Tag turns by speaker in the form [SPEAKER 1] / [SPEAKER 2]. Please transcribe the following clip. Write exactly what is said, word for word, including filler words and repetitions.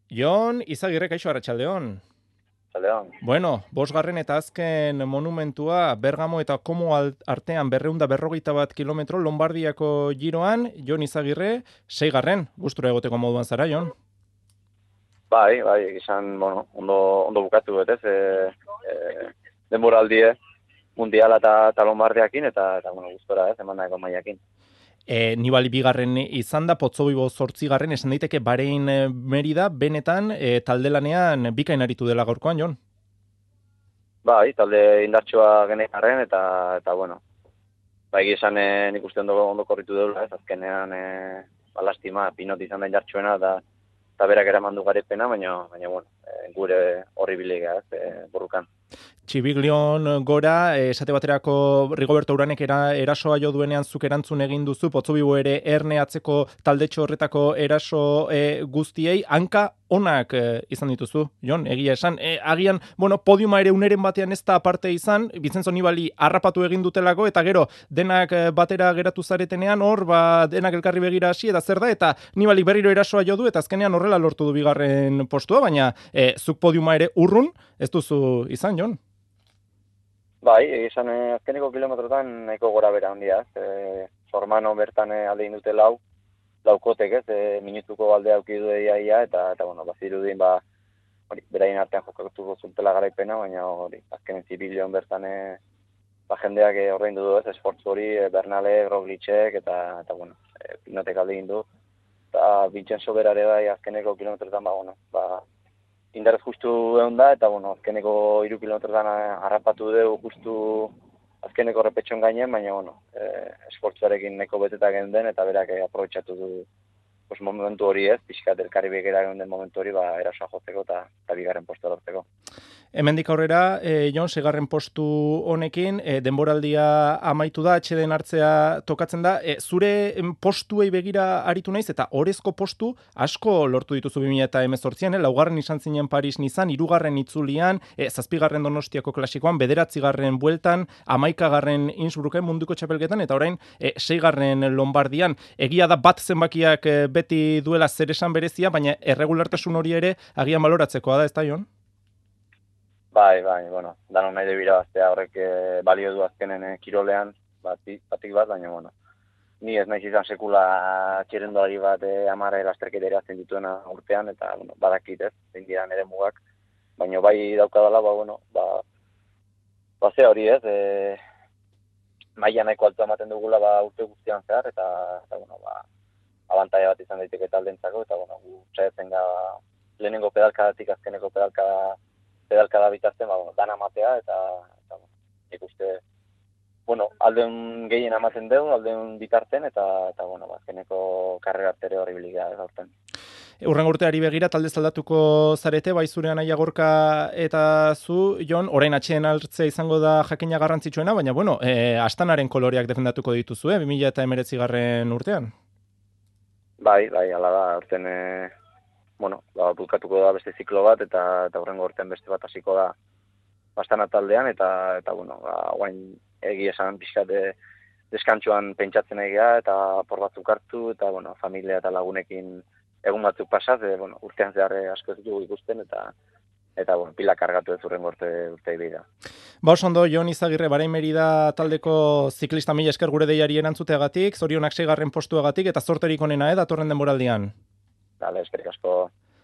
[SPEAKER 1] Jon, Izagirre, kaixo, arratsaldeon.
[SPEAKER 2] Arratsaldeon.
[SPEAKER 1] Bueno, bosgarren eta azken monumentua Bergamo eta Como artean berreunda berrogeita bat kilometro Lombardiako giroan, Jon Izagirre, seigarren, gustura egoteko moduan zara, Jon?
[SPEAKER 2] Bai, bai, izan, bueno, ondo, ondo bukatu, betez, e, e, denboraldie mundiala eta, eta Lombardiakin, eta, eta bueno, gustora, ez, eman dago maiakin.
[SPEAKER 1] E, Nibali bigarren izan da, Potzobibo zortzigarren, esan daiteke Bahrein Merida, benetan, e, talde lanean bikain aritu dela gaurkoan, Jon?
[SPEAKER 2] Bai, talde indartsua genekarren, eta, eta bueno, bai, esan e, nik uste ondo, ondo korritu deula, ez, azkenean, e, balastima, Pinot izan da indartsuena, da, eta berak eraman du garepena, baina, baina bueno, e, gure horri bilega, ez, e, borrukan.
[SPEAKER 1] Txibiglion gora, esate baterako Rigoberto Uranek era, erasoa jo duenean zuk erantzun egin duzu, Potzobibo ere erne atzeko taldetxo horretako eraso e, guztiei, hanka onak e, izan dituzu, Jon, egia esan. E, agian, bueno, podiuma ere uneren batean ez da aparte izan, Vincenzo Nibali harrapatu egin dutelako, eta gero, denak batera geratu zaretenean, hor, ba, denak elkarri begira hasi, eta zer da, eta Nibali berriro erasoa jo du, eta azkenean horrela lortu du bigarren postua, baina e, zuk podiuma ere urrun, ez duzu izan, Jon?
[SPEAKER 2] Bai, izan eh, azkeneko kilometrotan nahiko gora bera handia, ez, e, Sormano bertan eh, alde indute lau, laukotek, ez, e, minutuko alde auki du iaia, eta, eta bueno, bazirudin, ba, hori, beraien artean jokatuko zutela garaipena, baina hori, azkenen Zibilion bertan e, ba, jendeak e, ordaindu du, ez, esfortzu hori, e, Bernale, Roglicek, eta, eta bueno, e, Pinotek alde indu, eta Vincenzo berare bai azkeneko kilometrotan, ba, bueno, ba, indarrez justu egon da, eta bueno, azkeneko hiru kilometrotan harrapatu dugu justu azkeneko repetxon gainen, baina bueno, eh, esfortzuarekin neko beteta genden, eta berak eh, aprobetxatu du pues, momentu hori ez, pixkat elkarri begera genden momentu hori, ba, erasoa jotzeko eta, eta bigarren postu lortzeko.
[SPEAKER 1] Hemendik aurrera, e, Jon, segarren postu honekin, e, denboraldia amaitu da, atxeden hartzea tokatzen da, e, zure postuei begira aritu naiz, eta orezko postu asko lortu dituzu bi mila hemezortzian, eh? Laugarren izan zinen Paris Nizan, hirugarren itzulian, e, zazpigarren Donostiako klasikoan, bederatzigarren bueltan, hamaikagarren Innsbrucken munduko txapelketan, eta orain e, seigarren Lombardian. Egia da bat zenbakiak e, beti duela zer esan berezia, baina erregulartasun hori ere agian baloratzekoa da, ez da, Jon?
[SPEAKER 2] Bai, bai, bueno, danon nahi debira baztea horrek e, balio du azkenen e, kirolean, batik, batik bat, baina, bueno, ni ez naiz izan sekula txerendolari bat e, amara elasterketa erazten dituena urtean, eta, bueno, badakit ez, zein dira nire mugak, baina bai daukadala, ba, bueno, ba, ba ze hori ez, e, maila nahiko altua ematen dugula, ba, urte guztian zehar, eta, eta bueno, ba, abantaia bat izan daiteke taldentzako, eta, bueno, gu txaetzen ga, lehenengo pedalkadatik azkeneko pedalkada pedalkada bitazten, ba, bueno, dana matea, eta, eta bueno, ikuste, bueno, aldeun gehien amaten dugu, aldeun bitarten, eta, eta bueno, azkeneko karrera artere hori biliga gaurten.
[SPEAKER 1] Urren urteari begira, talde zaldatuko zarete, bai zure Anaia Gorka eta zu, Jon, orain atxeen hartzea izango da jakina garrantzitsuena, baina, bueno, e, Astanaren koloreak defendatuko dituzu, eh, bi mila hemeretzigarren urtean?
[SPEAKER 2] Bai, bai, ala da, urten, e, bueno, ba, bukatuko da beste ziklo bat, eta eta hurrengo urtean beste bat hasiko da Astana taldean, eta, eta bueno, ba, guain egi esan pixkat de, deskantxoan pentsatzen egia, eta por batzuk hartu, eta bueno, familia eta lagunekin egun batzuk pasaz, e, bueno, urtean zehar asko ez dugu ikusten, eta eta bueno, pila kargatu ez urrengo urte urtei bida.
[SPEAKER 1] Ba, oso ondo, Jon Izagirre, Bahrein Merida taldeko ziklista mila esker gure deiari erantzuteagatik, zorionak seigarren postuagatik, eta zorterik onena, eh, datorren denboraldian.
[SPEAKER 2] Dale, eskerrik asko.